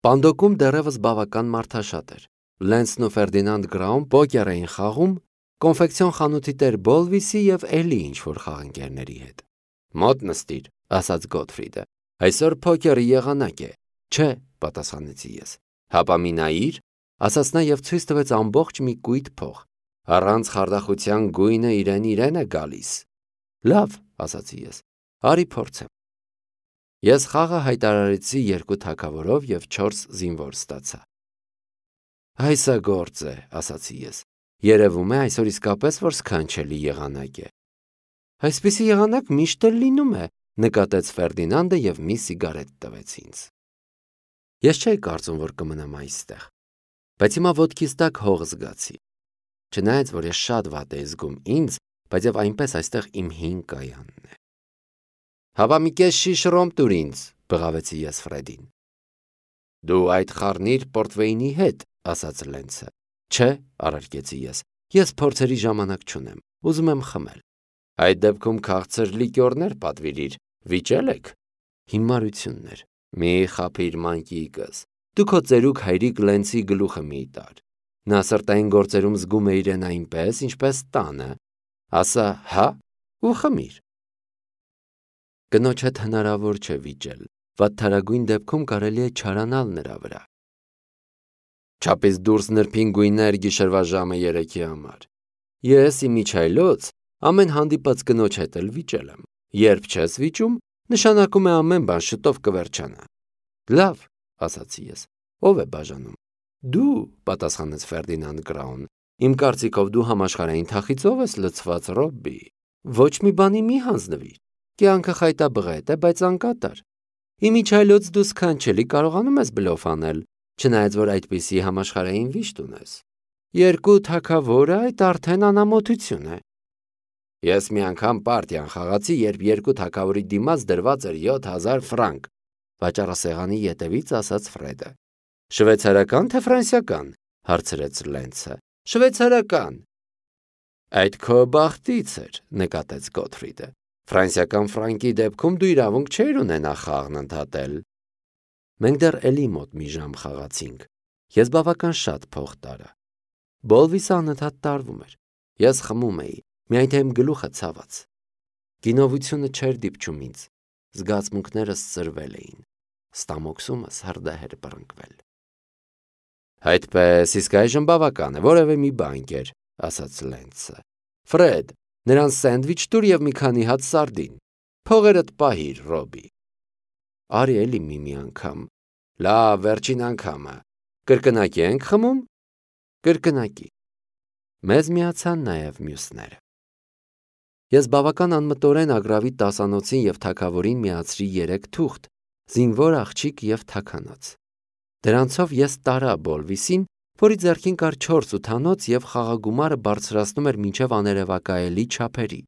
Պանդոկում դեռևս բավական մարդաշատ էր։ Լենսն ու Ֆերդինանդ Գրաուն պոկեր էին խաղում կոնֆեկցիոն խանութի տեր Բոլվիսի և էլի ինչ-որ խաղընկերների հետ։ Մոտ նստիր, ասաց Գոթֆրիդը, այսօր փոքերի եղանակ է։ Չէ, պատասխանեցի ես։ Հապա մի նայիր, ասաց նա և ցույց տվեց ամբողջ մի կույտ փող։ Առանց խարդախության գույնը իրեն է գալիս։ Լավ, ասացի ես, արի փորձեմ։ Ես խաղը հայտարարեցի 2 թագավորով և 4 զինվոր ստացա։ Այսա գործ է, ասացի ես, երևում է այսօր իսկապես որ սքանչելի եղանակ է։ Այսպիսի եղանակ միշտ էլ լինում է, նկատեց Ֆերդինանդը և մի սիգարետ տվեց ինձ։ Ես չէի կարծում, որ կմնամ այստեղ, բայց հիմա ոտքիս տակ հող զգացի։ Չնայած, որ ես շատ վատ էի զգում ինձ, բայց և այնպես այստեղ իմ հին կայանն է։ Հավա մի կես շիշ ռոմ տուր ինձ, բղավեցի ես Ֆրեդին։ Դու այդ խառնիր պորտվեյնի հետ, ասաց Լենցը։ Չէ, առարկեցի ես փորձերի ժամանակ չունեմ, ուզում եմ խմել։ Այդ դեպքում քաղցր լիկյորներ պատվիրիր, վիճել եք։ Հիմարություններ, մի խաբիր մանկիկս, դու քո ծերուկ հայրիկ Լենցի գլուխը մի տար։ Նա սրտային գործերում զգում է իրեն այնպես, ինչպես տանը, ասա հա ու խմիր։ Կնոջ հետ հնարավոր չէ վիճել, վատթարագույն դեպքում կարելի է չարանալ նրա վրա։ Չափից դուրս նրբին գույներ գիշերվա ժամը 3-ի համար։ Ես իմ միջայլոց ամեն հանդիպած կնոջ հետ էլ վիճել եմ։ Երբ չես վիճում, նշանակում է ամեն բան շուտով կվերջանա։ Լավ, ասացի ես, ով է բաժանում։ Դու, պատասխանեց Ֆերդինանդ Գրաուն, իմ կարծիքով դու համաշխարհային թախիծով ես լցված Ռոբբի։ Ոչ մի բանի մի հանձնվիր։ Կյանքը խայտաբղետ է, բայց անկատար։ Իմիջայլոց դու սքանչելի կարողանում ես բլոֆ անել, չնայած որ այդպիսի համաշխարհային վիշտ ունես։ 2 թագավորը այդ արդեն անամոթություն է։ Ես մի անգամ պարտիան խաղացի, երբ 2 թագավորի դիմաց դրված էր 7000 ֆրանկ, վաճառասեղանի ետևից ասաց Ֆրեդը։ Շվեյցարական թե ֆրանսիական, հարցրեց Լենցը։ Շվեյցարական։ Այդ քո բախտից էր, նկատեց Գոթֆրիդը։ Ֆրանսիական ֆրանկի դեպքում դու իրավունք չէիր ունենա խաղն ընդհատել։ Մենք դեռ էլի մոտ մի ժամ խաղացինք։ Ես բավական շատ փող տարա։ Բոլվիսը անընդհատ տարվում էր։ Ես խմում էի, միայն թե իմ գլուխը ցաված։ Գինովությունը չէր դիպչում ինձ։ Զգացմունքներս ծրվել էին։ Ստամոքսումս հրդեհ էր բռնկվել։ Այդպես, իսկ այժմ բավական է, որևէ մի բան կեր, ասաց Լենցը։ Ֆրեդ, նրան սենդվիչ տուր և մի քանի հատ սարդին։ Փողերդ պահիր, Ռոբի։ Արի էլի մի անգամ։ Լավ, վերջին անգամը։ Կրկնակի ենք խմում։ Կրկնակի։ Մեզ միացան նաև մյուսները։ Ես բավական անմտորեն Ագրավի տասանոցին և թագավորին միացրի 3 թուղթ, զինվոր աղջիկ և թագանոց։ Դրանցով ես տարա Բոլվիսին, որի ձեռքին կար 4 ութանոց և խաղագումարը բարձրացնում էր մինչև աներևակայելի չափերի։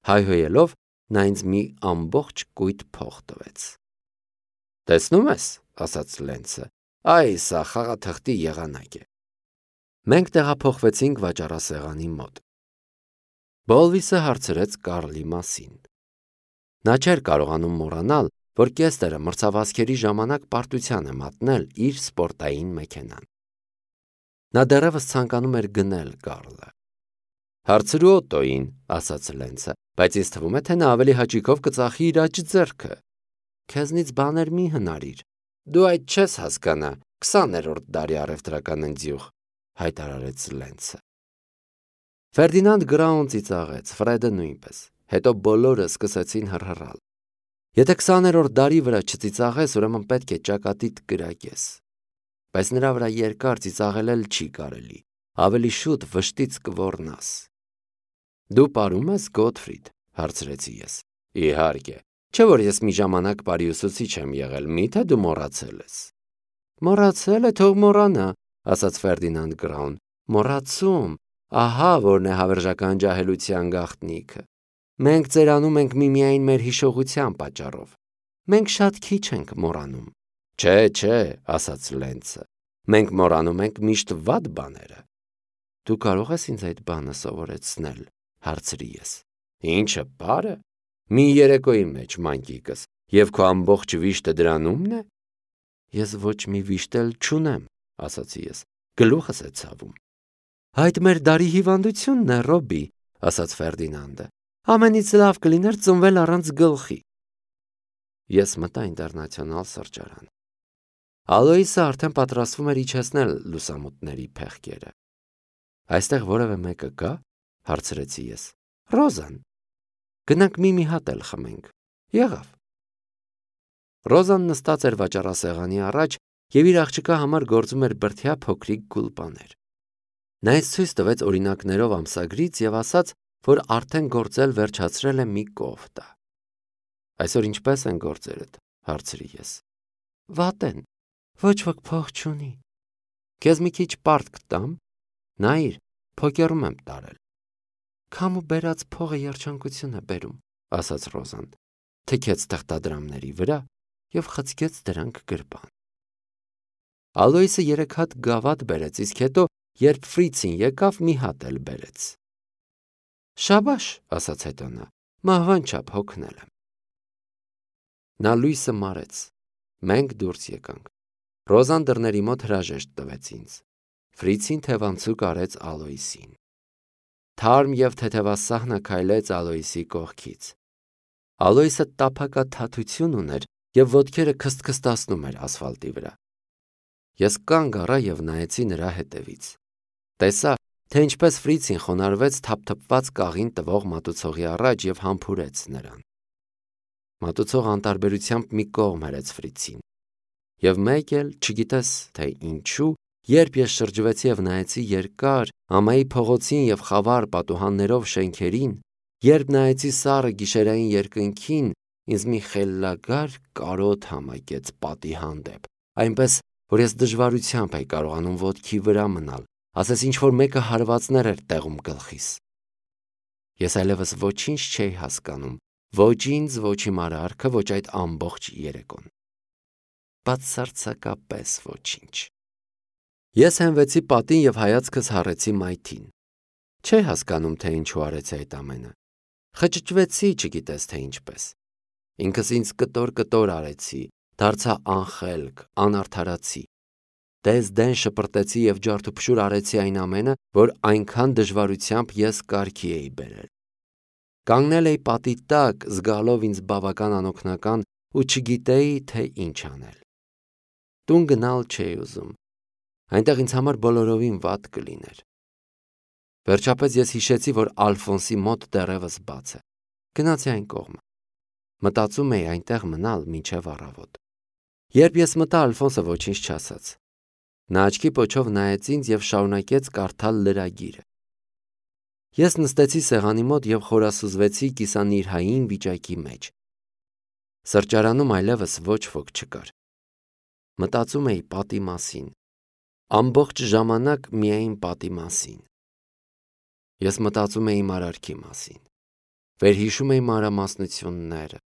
Հայհոյելով, նա ինձ մի ամբողջ կույտ փող տվեց։ Տեսնում ես, ասաց Լենցը, այս սա խաղաթղթի եղանակ է։ Մենք տեղափոխվեցինք վաճառասեղանի մոտ։ Բոլվիսը հարցրեց Կարլի մասին։ Նա չէր կարողանում մոռանալ, որ կեստերը մրցավազքերի ժամանակ պարտության է մատնել իր սպորտային մեքենան։ Նա դեռևս ցանկանում էր գնել Կարլը։ Հարցրու Օտոյին, ասաց Լենցը, բայց ինձ թվում է, թե նա ավելի հաճիկով կծախի իր աջ ձեռքը։ Քեզնից բաներ մի հնարիր։ Դու այդ չես հասկանա, 20-րդ դարի առևտրական ընձյուղ, հայտարարեց Լենցը։ Ֆերդինանդ Գրաուն ծիծաղեց, Ֆրեդը նույնպես, հետո բոլորը սկսեցին հռհռալ։ Եթե 20-րդ դարի վրա չծիծաղես, ուրեմն պետք է ճակատիդ կրակես։ Բայց նրա վրա երկար ծիծաղել էլ չի կարելի, ավելի շուտ վշտից կոռնաս։ Դու պարում ես, Գոթֆրիդ, հարցրեցի ես։ Իհարկե, չէ որ ես մի ժամանակ պարիուսուցիչ եմ եղել, միթե դու մոռացել ես։ Մոռացել է, թող մոռանա, ասաց Ֆերդինանդ Գրաուն։ Մոռացում, ահա որն է հավերժական ջահելության գաղտնիքը։ Մենք ծերանում ենք միմիայն մեր հիշողության պատճառով։ Մենք շատ քիչ ենք մոռանում։ Չէ, ասաց Լենցը։ Մենք մոռանում ենք միշտ վատ բաները։ Դու կարող ես ինձ այդ բանը սովորեցնել, հարցրի ես։ Ինչը պարը։ Մի երեկոյի մեջ, մանկիկս, և քո ամբողջ վիշտը դրանումն է։ Ես ոչ մի վիշտ չունեմ, ասացի ես, գլուխս է ցավում։ Այդ մեր դարի հիվանդությունն է, Ռոբի, ասաց Ֆերդինանդը։ Ամենից լավ կլիներ ծնվել առանց գլխի։ Ես մտա ինտերնացիոնալ սրճարան։ Ալոիսը արդեն պատրաստվում էր իջեցնել լուսամուտների փեղկերը։ Այստեղ որևէ մեկը կա, հարցրեցի ես։ Ռոզան։ Գնանք մի հատ էլ խմենք։ Եղավ։ Ռոզան նստած էր վաճառասեղանի առաջ եւ իր աղջկա համար գործում էր բրդյա փոքրիկ գուլպաներ։ Նա ինձ ցույց տվեց օրինակներով ամսագրից եւ ասաց, որ արդեն գործել վերջացրել է մի կոֆտա։ Այսօր ինչպես են գործերդ, հարցրի ես։ Վատ են, ոչ ոք փող չունի։ Քեզ մի քիչ պարտ կտամ, նայիր, փոկերում եմ տարել։ Քամու բերած փողը երջանկություն է բերում, ասաց Ռոզան, թքեց թղթադրամների վրա եւ խցկեց դրանք գրպան։ Ալոիսը 3 հատ գավաթ բերեց, իսկ հետո, երբ Ֆրիցին եկավ, մի հատ էլ բերեց։ Շաբաշ, ասաց հետո նա, մահվան չափ հոգնել եմ։ Նա լույսը մարեց։ Մենք դուրս եկանք։ Ռոզան դռների մոտ հրաժեշտ տվեց ինձ։ Ֆրիցին թևանցուկ արեց Ալոիսին։ Թարմ եւ թեթևասահնը քայլեց Ալոիսի կողքից։ Ալոիսը տափակաթաթություն ուներ եւ ոտքերը քստքստացնում էր ասֆալտի վրա։ Ես կանգ առա եւ նայեցի նրա հետևից։ Տեսա, թե ինչպես Ֆրիցին խոնարհվեց թափթփված կաղին տվող մատուցողի առաջ եւ համբուրեց նրան։ Մատուցող անտարբերությամբ մի կողմ հրեց Ֆրիցին։ Եվ մեկ էլ, չգիտես թե ինչու, երբ ես շրջվեցի եւ նայեցի երկար, ամայի փողոցին եւ խավար պատուհաններով շենքերին, երբ նայեցի սառը գիշերային երկնքին, ինձ մի խելագար կարոտ համակեց պատի հանդեպ, այնպես, որ ես դժվարությամբ էի կարողանում ոտքի վրա մնալ, ասես ինչ-որ մեկը հարվածներ էր տեղում գլխիս։ Ես այլևս ոչինչ չէի հասկանում, ոչ ինձ, ոչ իմ արարքը, ոչ այդ ամբողջ երեկոն։ Բացարձակապես ոչինչ։ Ես հենվեցի պատին եւ հայացքս հառեցի մայթին։ Չէի հասկանում, թե ինչու արեցի այդ ամենը։ Խճճվեցի, չգիտես թե ինչպես։ Ինքս ինձ կտոր արեցի, դարձա անխելք, անարդարացի։ Դեն շպրտեցի եւ ջարդուփշուր արեցի այն ամենը, որ այնքան դժվարությամբ ես կարգի էի բերել։ Կանգնել էի պատի տակ, զգալով ինձ բավական անօգնական ու չգիտեի, թե ինչ անել։ Տուն գնալ չէի ուզում։ Այնտեղ ինձ համար բոլորովին վատ կլիներ։ Վերջապես ես հիշեցի, որ Ալֆոնսի մոտ դեռևս բաց է։ Գնացի այն կողմը։ Մտածում էի այնտեղ մնալ մինչև առավոտ։ Երբ ես մտա, Ալֆոնսը ոչինչ չասաց։ Նա աչքի պոչով նայեց ինձ եւ շարունակեց կարդալ լրագիրը։ Ես նստեցի սեղանի մոտ եւ խորասուզվեցի կիսանիրհային վիճակի մեջ։ Սրճարանում այլևս ոչ ոք չկար։ Մտածում էի պատի մասին։ Ամբողջ ժամանակ միայն պատի մասին։ Ես մտածում էի իմ արարքի մասին։ Վերհիշում էի մանրամասնությունները։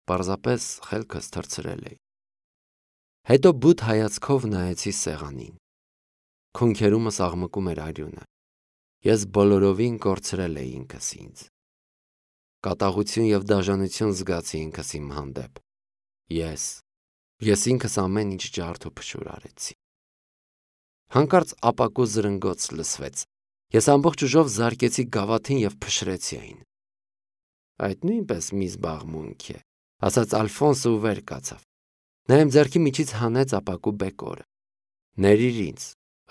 Պարզապես խելքս թռցրել էի։ Հետո բութ հայացքով նայեցի սեղանին։ Քունքերումս աղմկում էր արյունը։ Ես բոլորովին կորցրել էի ինքս ինձ։ Կատաղություն եւ դաժանություն զգացի ինքս իմ հանդեպ։ Ես ինքս ամեն ինչ ջարդուփշուր արեցի։ Հանկարծ ապակու զրնգոց լսվեց։ Ես ամբողջ ուժով զարկեցի գավաթին եւ փշրեցի այն։ Այդ նույնպես մի զբաղմունք է, ասաց Ալֆոնսը ու վեր կացավ։ Նա իմ ձեռքի միջից հանեց ապակու բեկորը։ Ներիր ինձ,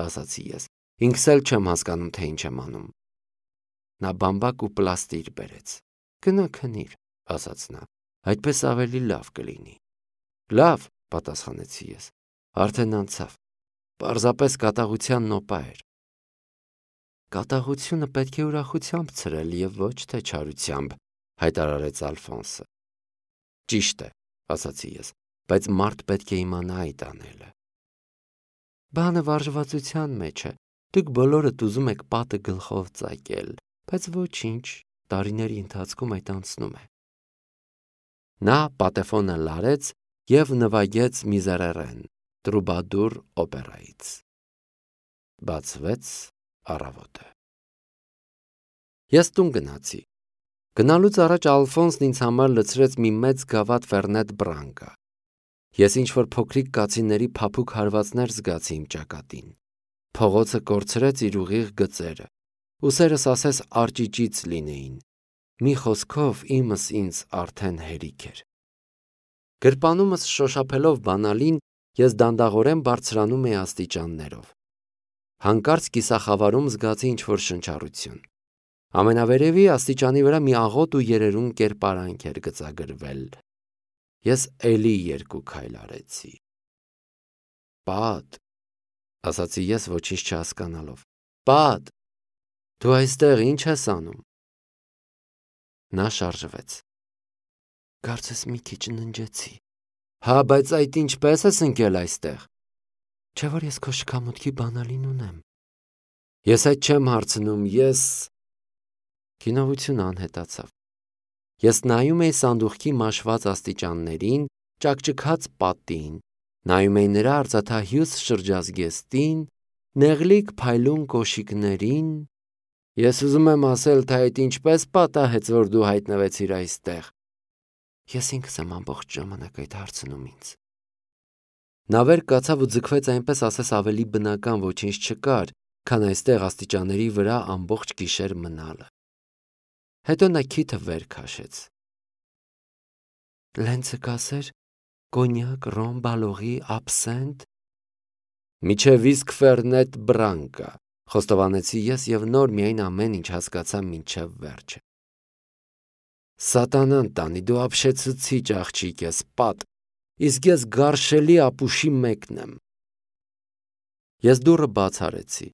ասացի ես։ Ինքս էլ չեմ հասկանում, թե ինչ եմ անում։ Նա բամբակ ու պլաստիր բերեց։ Գնա քնիր, ասաց նա։ Այդպես ավելի լավ կլինի։ Լավ, պատասխանեցի ես։ Արդեն անցավ։ Պարզապես կատաղության նոպա էր։ Կատաղությունը պետք է ուրախությամբ ցրել եւ ոչ թե չարությամբ, հայտարարեց Ալֆոնսը։ Ճիշտ է, ասացի ես, բայց մարդ պետք է իմանա այդ անելը։ Բանը վարժվածության մեջ է։ Դուք բոլորդ ուզում եք պատը գլխով ծակել, բայց ոչինչ, տարիների ընթացքում այդ անցնում է։ Նա պատեֆոնը լարեց եւ նվագեց Միզերերեն, Տրուբադուր օպերայից։ Բացվեց առավոտը։ Ես տուն գնացի։ Գնալուց առաջ Ալֆոնսն ինձ համար լցրեց մի մեծ գավաթ Ֆերնետ Բրանկա։ Ես ինչ-որ փոքրիկ կացինների փափուկ հարվածներ զգացի իմ ճակատին։ Փողոցը կորցրեց իր ուղիղ գծերը։ Ուսերս ասես արճիճից լինեին։ Մի խոսքով իմս ինձ արդեն հերիք էր։ Գրպանումս շոշափելով բանալին, ես դանդաղորեն բարձրանում էի աստիճաններով։ Հանկարծ կիսախավարում զգացի ինչ-որ շնչառություն։ Ամենավերևի աստիճանի վրա մի աղոտ ու երերուն կերպարանք էր գծագրվել։ Ես էլի 2 քայլ արեցի։ Պատ, ասացի ես ոչինչ չհասկանալով։ Պատ, դու այստեղ ինչ ես անում։ Նա շարժվեց։ Կարծես մի քիչ ննջեցի։ Հա, բայց այդ ինչպես ես ընկել այստեղ։ Չէ՞ որ ես քո շքամուտքի բանալին ունեմ։ Ես այդ չեմ հարցնում, ես… Քինովությունը անհետացավ։ Ես նայում էի սանդուղքի մաշված աստիճաններին, ճաքճքած պատին, նայում էի նրա արծաթահյուս շրջազգեստին, նեղլիկ փայլուն կոշիկներին։ Ես ուզում եմ ասել, թե այդ ինչպես պատահեց, որ դու հայտնվեցիր այստեղ։ Ես ինքս եմ ամբողջ ժամանակ այդ հարցնում ինձ։ Նա վեր կացավ ու ձգվեց այնպես ասես ավելի բնական ոչինչ չկար, քան այստեղ աստիճանների վրա ամբողջ գիշեր մնալը։ Հետո նա քիթը վեր քաշեց։ Լենցը կասեր, կոնյակ, ռոմ, բալողի, աբսենտ։ Միջև իսկ ֆերնետ բրանկա, խոստովանեցի ես եւ նոր միայն ամեն ինչ հասկացա մինչև վերջը։ Սատանան տանի, դու ապշեցուցիչ աղջիկ ես, Պատ, իսկ ես գարշելի ապուշի մեկն եմ։ Ես դուռը բաց արեցի,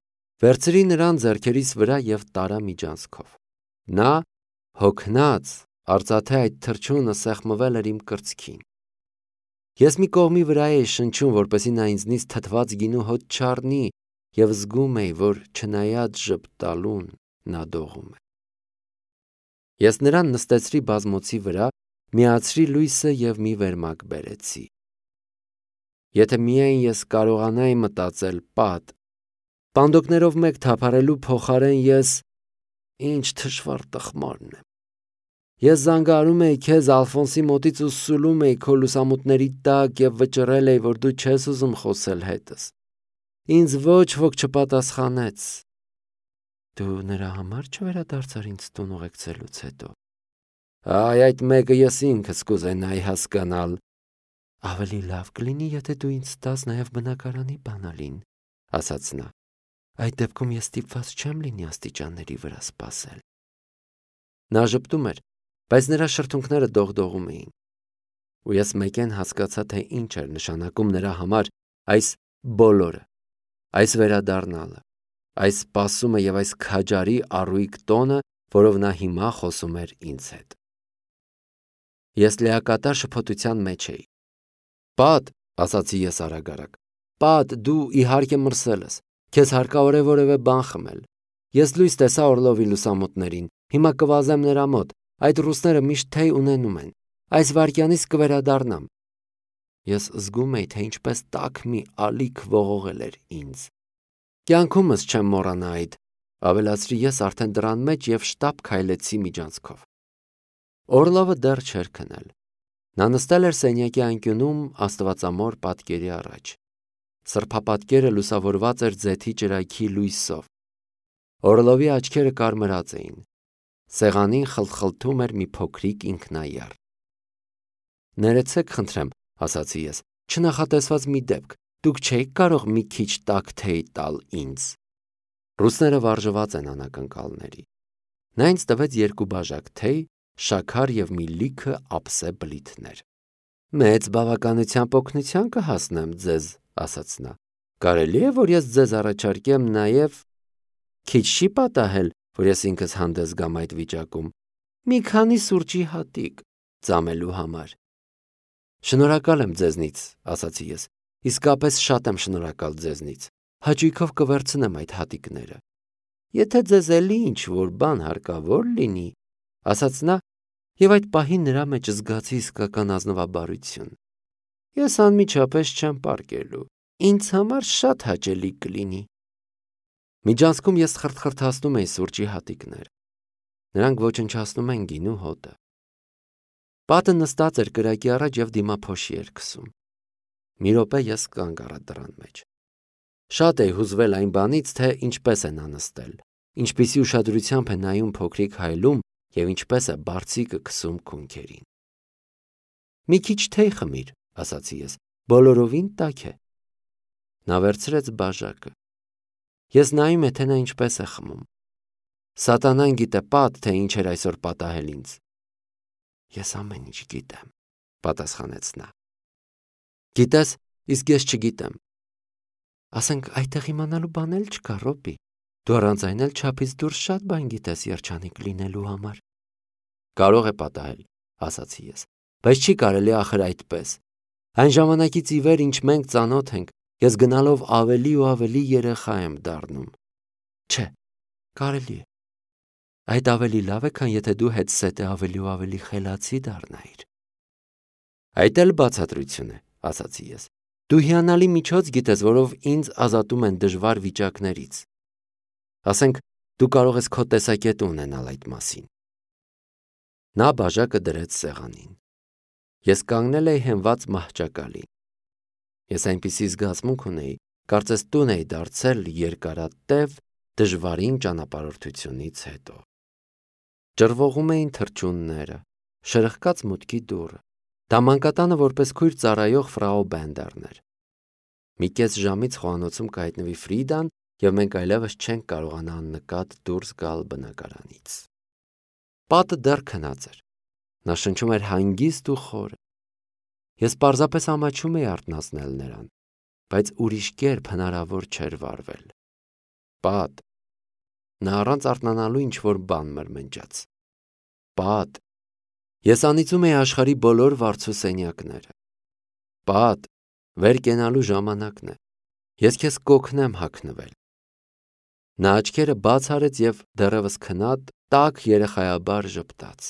վերցրի նրան ձեռքերիս վրա եւ տարա միջանցքով։ Նա, հոգնած, արծաթե այդ թրջունը սեղմվել էր իմ կրծքին։ Ես մի կողմի վրա էի շնչում, որպեսզի նա ինձնից թթված գինու հոտ չառնի, եւ զգում էի, որ չնայած ժպտալուն նա դողում է։ Ես նրան նստեցրի բազմոցի վրա, միացրի լույսը եւ մի վերմակ բերեցի։ Եթե միայն ես կարողանայի մտածել, Պատ, պանդոկներով մեկ թափարելու փոխարեն ես… Ինչ թշվառ տխմարն եմ։ Ես զանգահարում էի քեզ Ալֆոնսի մոտից ու սուլում էի քո լուսամուտների տակ եւ վճռել էի, որ դու չես ուզում խոսել հետս։ Ինձ ոչ ոք չպատասխանեց։ Դու նրա համար չվերադարձար ինձ տուն ուղեկցելուց հետո։ Այ այդ մեկը ես ինքս կուզենայի հասկանալ։ Ավելի լավ կլինի, եթե դու ինձ տաս նաև բնակարանի բանալին, ասաց նա։ Այդ դեպքում ես ստիպված չեմ լինի աստիճանների վրա սպասել։ Նա ժպտում էր, բայց նրա շրթունքները դողդողում էին։ Ու ես մեկեն հասկացա, թե ինչ էր նշանակում նրա համար այս բոլորը, այս վերադառնալը, այս սպասումը եւ այս քաջարի առույգ տոնը, որով նա հիմա խոսում էր ինձ հետ։ Ես լիակատար շփոթության մեջ էի։ Պատ, ասացի ես արագ, Պատ, դու իհարկե մրսել ես, քեզ հարկավոր է որևէ բան խմել։ Ես լույս տեսա Օրլովի լուսամուտներին, հիմա կվազեմ նրա մոտ, այդ ռուսները միշտ թեյ ունենում են, այս վայրկյանից կվերադառնամ։ Ես զգում էի, թե ինչպես տաք մի ալիք ողողել էր ինձ։ Կյանքումս չեմ մոռանա այդ, ավելացրի ես արդեն դռան մեջ եւ շտապ քայլեցի միջանցքով։ Օրլովը դեռ չէր քնել։ Նա նստել էր սենյակի անկյունում աստվածամոր պատկերի առաջ։ Սրբապատկերը լուսավորված էր ձեթի ճրագի լույսով։ Օրլովի աչքերը կարմրած էին։ Սեղանին խլթխլթում էր մի փոքրիկ ինքնայար։ Ներեցեք, խնդրեմ, ասացի ես, չնախատեսված մի դեպք, դուք չէիք կարող մի քիչ տաք թեյ տալ ինձ։ Ռուսները վարժված են անակնկալների։ Նա ինձ տվեց 2 բաժակ թեյ, շաքար եւ մի լիքը ափսե բլիթներ։ Մեծ բավականությամբ օգնության կհասնեմ ձեզ, ասաց նա։ Կարելի է, որ ես ձեզ առաջարկեմ նաեւ… Քիչ չի պատահել, որ ես ինքս հանդես գամ այդ վիճակում։ Մի քանի սուրճի հատիկ ծամելու համար։ Շնորհակալ եմ ձեզնից, ասացի ես։ Իսկապես շատ եմ շնորհակալ ձեզնից։ Հաճույքով կվերցնեմ այդ հատիկները։ Եթե ձեզ էլի ինչ-որ բան հարկավոր լինի, ասաց նա, եւ այդ պահին նրա մեջ զգացի իսկական ազնվաբարություն։ Ես անմիջապես չեմ պառկելու։ Ինձ համար շատ հաճելի կլինի։ Միջանցքում ես խրթխրթացնում էի սուրճի հատիկները։ Նրանք ոչնչացնում են գինու հոտը։ Պատը նստած էր կրակի առաջ եւ դիմափոշի էր քսում։ Մի րոպե ես կանգ առա դռան մեջ։ Շատ էի հուզվել այն բանից, թե ինչպես է նա նստել, ինչպիսի ուշադրությամբ է նայում փոքրիկ հայլում և ինչպես է բարձիկը քսում քունքերին։ Մի քիչ թեյ խմիր, ասացի ես, բոլորովին տաք է։ Նա վերցրեց բաժակը։ Ես նայում եմ, թե նա ինչպես է խմում։ Սատանան գիտե պատ, թե ինչ էր այսօր պատահել ինձ։ Ես ամեն ինչ գիտեմ, պատասխանեց նա։ Գիտես, իսկ ես չգիտեմ։ Ասենք այդտեղ իմանալու բան էլ չկա, Ռոբի։ Դու առանց այն էլ չափից դուրս շատ բան գիտես երջանիկ լինելու համար։ Կարող է պատահել, ասացի ես, բայց չի կարելի ախր այդպես։ Այն ժամանակից ի վեր, ինչ մենք ծանոթ ենք, ես գնալով ավելի ու ավելի երեխա եմ դառնում։ Չէ, կարելի է։ Այդ ավելի լավ է, քան եթե դու հետսետը ավելի ու ավելի խելացի դառնայիր։ Այդ էլ բացատրություն է, ասացի ես։ Դու հիանալի միջոց գիտես, որով ինձ ազատում են դժվար վիճակներից։ Ասենք, դու կարող ես քո տեսակետը ունենալ այդ մասին։ Նա բաժակը դրեց սեղանին։ Ես կանգնել էի հենված մահճակալին։ Ես այնպիսի զգացմունք ունեի, կարծես տուն էի դարձել երկարատև դժվարին ճանապարհորդությունից հետո։ Ջրվողում էին թռչունները, շրխկաց մուտքի դուռը։ Դա մանկատանը որպես քույր ծառայող ֆրաու Բենդերն էր։ Մի կես ժամից խոհանոցում կհայտնվի Ֆրիդան, և մենք այլևս չենք կարողանա աննկատ դուրս գալ բնակարանից։ Պատը դեռ քնած էր։ Նա շնչում էր հանգիստ ու խորը։ Ես պարզապես ամաչում էի արթնացնել նրան, բայց ուրիշ կերպ հնարավոր չէր վարվել։ Պատ։ Նա առանց արթնանալու ինչ-որ բան մրմնջաց։ Պատ։ Ես անիծում էի աշխարհի բոլոր վարձու սենյակները։ Պատ, վեր կենալու ժամանակն է։ Ես քեզ կօգնեմ հագնվել։ Նա աչքերը բաց արեց և դեռևս քնած, տաք երեխայաբար ժպտաց։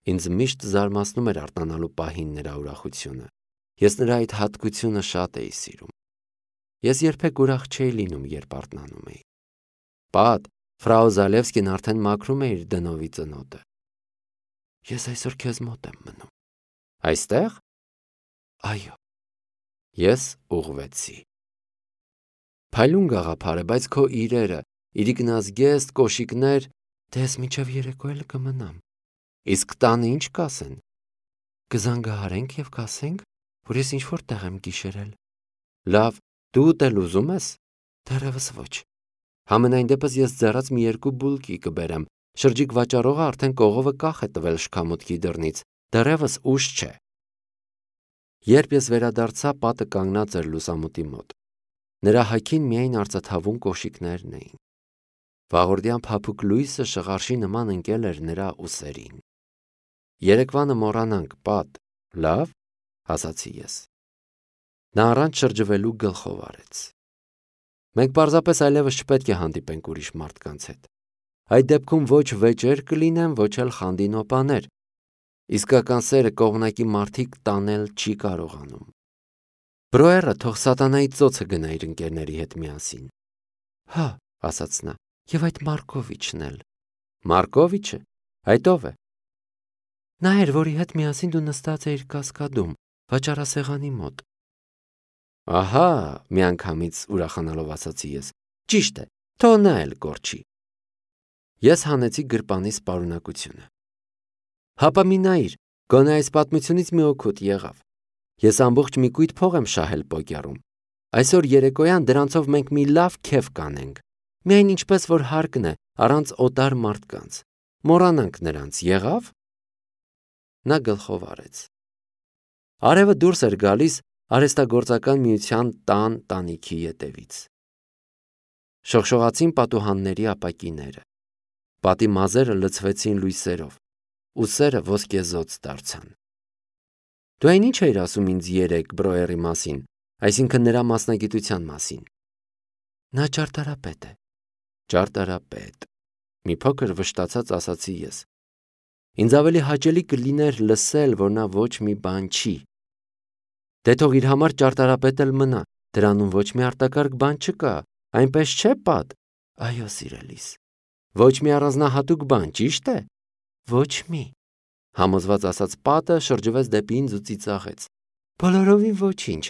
Ինձ միշտ զարմացնում էր արթնանալու պահին նրա ուրախությունը։ Ես նրա այդ հատկությունը շատ էի սիրում։ Ես երբեք ուրախ չէի լինում, երբ արթնանում էի։ Պատ, ֆրաու Զալևսկին արդեն մաքրում է իր դնովի ծնոտը։ Ես այսօր քեզ մոտ եմ մնում։ Այստեղ։ Այո։ Ես ուղղվեցի։ Փայլուն գաղափար է, բայց քո իրերը, իրիկնազգեստ կոշիկներ, դե ես մինչև երեկո էլ կմնամ։ Իսկ տանը ինչ կասեն։ Կզանգահարենք և կասենք, որ ես ինչ-որ տեղ եմ գիշերել։ Լավ, դու ուտել ուզում ես։ Դեռևս ոչ։ Համենայն դեպս ես ձեռած մի երկու բուլկի կբերեմ։ Շրջիկ վաճառողը արդեն կողովը կախ է տվել շքամուտքի դռնից։ Դեռևս ուշ չէ։ Երբ ես վերադարձա, պատը կանգնած էր լուսամուտի մոտ։ Նրա հագին միայն արծաթավուն կոշիկներն էին։ Վաղորդյան փափուկ լույսը շղարշի նման ընկել էր նրա ուսերին։ Երեկվանը մոռանանք, Պատ, լավ, ասացի ես։ Նա առանց շրջվելու գլխով արեց։ Մենք պարզապես այլևս չպետք է հանդիպենք ուրիշ մարդկանց հետ։ Այդ դեպքում ոչ վեճեր կլինեն, ոչ էլ խանդինոպաներ։ Իսկական սերը կողմնակի մարդիկ տանել չի կարողանում։ Բրոերը թող սատանայի ծոցը գնա իր ընկերների հետ միասին։ Հա, ասաց նա, և այդ Մարկովիչն էլ։ Մարկովիչը, այդ ով է։ Նա էր, որի հետ միասին դու նստած էիր Կասկադում, վաճառասեղանի մոտ։ Ահա, միանգամից ուրախանալով ասացի ես։ Ճիշտ է, թող նա էլ կորչի։ Ես հանեցի գրպանիս պարունակությունը։ Հապա մի նայիր, գոնե այս պատմությունից մի օգուտ եղավ։ Ես ամբողջ մի կույտ փող եմ շահել պոկերում։ Այսօր երեկոյան դրանցով մենք մի լավ քեֆ կանենք։ Միայն ինչպես որ հարկն է, առանց օտար մարդկանց։ Մոռանանք նրանց, եղավ։ Նա գլխով արեց։ Արևը դուրս էր գալիս արհեստագործական միության տանիքի ետևից։ Շողշողացին պատուհանների ապակիները։ Պատի մազերը լցվեցին լույսերով, ուսերը ոսկեզոծ դարձան։ Դու այն ինչ էիր ասում ինձ երեկ Բրոերի մասին, այսինքն նրա մասնագիտության մասին։ Նա ճարտարապետ է։ Ճարտարապետ։ Մի փոքր վշտացած ասացի ես։ Ինձ ավելի հաճելի կլիներ լսել, որ նա ոչ մի բան չի։ Դե թող իր համար ճարտարապետ էլ մնա, դրանում ոչ մի արտակարգ բան չկա, այնպես չէ, Պատ։ Այո, սիրելիս։ Ոչ մի առանձնահատուկ բան, ճիշտ է։ Ոչ մի։ Համոզված ասաց Պատը շրջվեց դեպի ինձ ու ծիծաղեց։ Բոլորովին ոչինչ,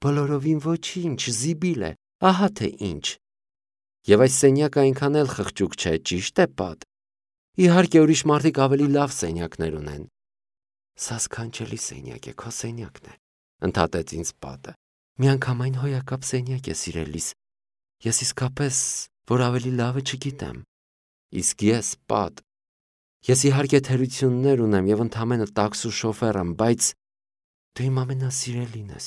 Բոլորովին ոչինչ, զիբիլ է, ահա թե ինչ։ Եվ այս սենյակը այնքան էլ խղճուկ չէ, ճիշտ է, Պատ։ Իհարկե ուրիշ մարդիկ ավելի լավ սենյակներ ունեն։ Սա սքանչելի սենյակ է, քո սենյակն է, ընդհատեց ինձ Պատը։ Միանգամայն հոյակապ սենյակ է, սիրելիս։ Ես իսկապես, որ ավելի լավը չգիտեմ։ Իսկ ես, Պատ, ես իհարկե թերություններ ունեմ եւ ընդամենը տաքսու շոֆեր եմ, բայց դու իմ ամենասիրելին ես։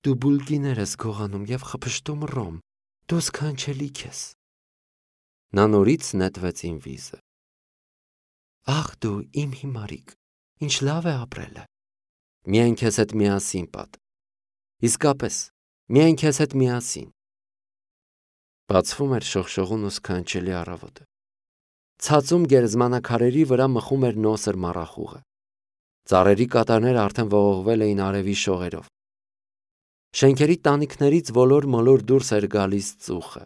Դու բուլկիներ ես գողանում եւ խփշտում ռոմ։ Դու սքանչելիք ես։ Նա նորից նետվեց իմ վիզը։ Ախ դու իմ հիմարիկ, ինչ լավ է ապրելը։ Միայն քեզ հետ միասին, Պատ։ Իսկապես, միայն քեզ հետ միասին։ Բացվում էր շողշողուն ու սքանչելի առավոտը։ Ցածում գերեզմանակարերի վրա մխում էր նոսր մառախուղը։ Ծառերի կատարները արդեն ողողվել էին արևի շողերով։ Շենքերի տանիքներից ոլոր-մոլոր դուրս էր գալիս ծուխը։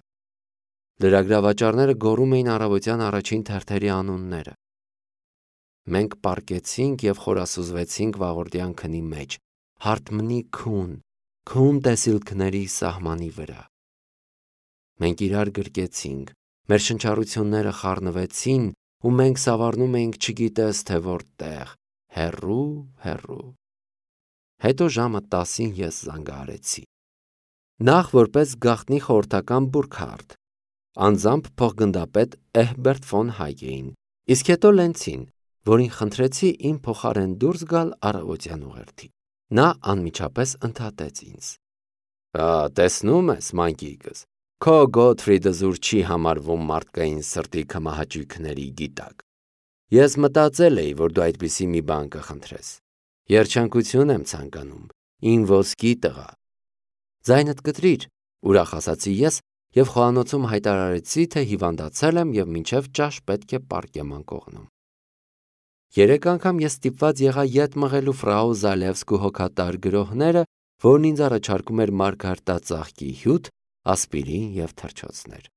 Լրագրավաճառները գոռում էին առավոտյան առաջին թերթերի անունները։ Մենք պառկեցինք եւ խորասուզվեցինք վաղորդյան քնի մեջ, հարթմնի քուն տեսիլքների սահմանի վրա։ Մենք իրար գրկեցինք, մեր շնչառությունները խառնվեցին ու մենք սավառնում էինք չգիտես թե որտեղ, հեռու։ Հետո ժամը 10-ին ես զանգահարեցի։ Նախ որպես գաղտնի խորհրդական Բուրքհարդ, անձամբ փոխգնդապետ Էհբերտ ֆոն Հայգեին, իսկ հետո Լենցին, որին խնդրեցի իմ փոխարեն դուրս գալ առավոտյան ուղերձի։ Նա անմիջապես ընդհատեց ինձ. Տեսնում ես, մանկիկս, քո Գոթֆրիդը զուր չի համարվում մարդկային սրտի քմահաճույքների գիտակ։ Ես մտածել էի, որ դու այդպիսի մի բան կխնդրես։ Երջանկություն եմ ցանկանում, իմ ոսկի տղա։ Ձայնդ կտրիր, ուրախ ասացի ես եւ խոհանոցում հայտարարեցի, թե հիվանդացել եմ եւ մինչեւ ճաշ պետք է պառկեմ անկողնում։ 3 անգամ ես ստիպված եղա ետ մղելու ֆրաու Զալևսկու հոգատար գրոհները, որն ինձ առաջարկում էր մարգարտածաղկի հյութ, ասպիրին եւ թռչոցներ։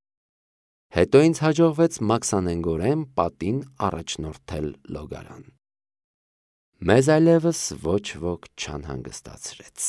Հետո ինձ հաջողվեց մաքսանենգորեն Պատին առաջնորդել լոգարան։ Մեզ այլևս ոչ ոք չանհանգստացրեց։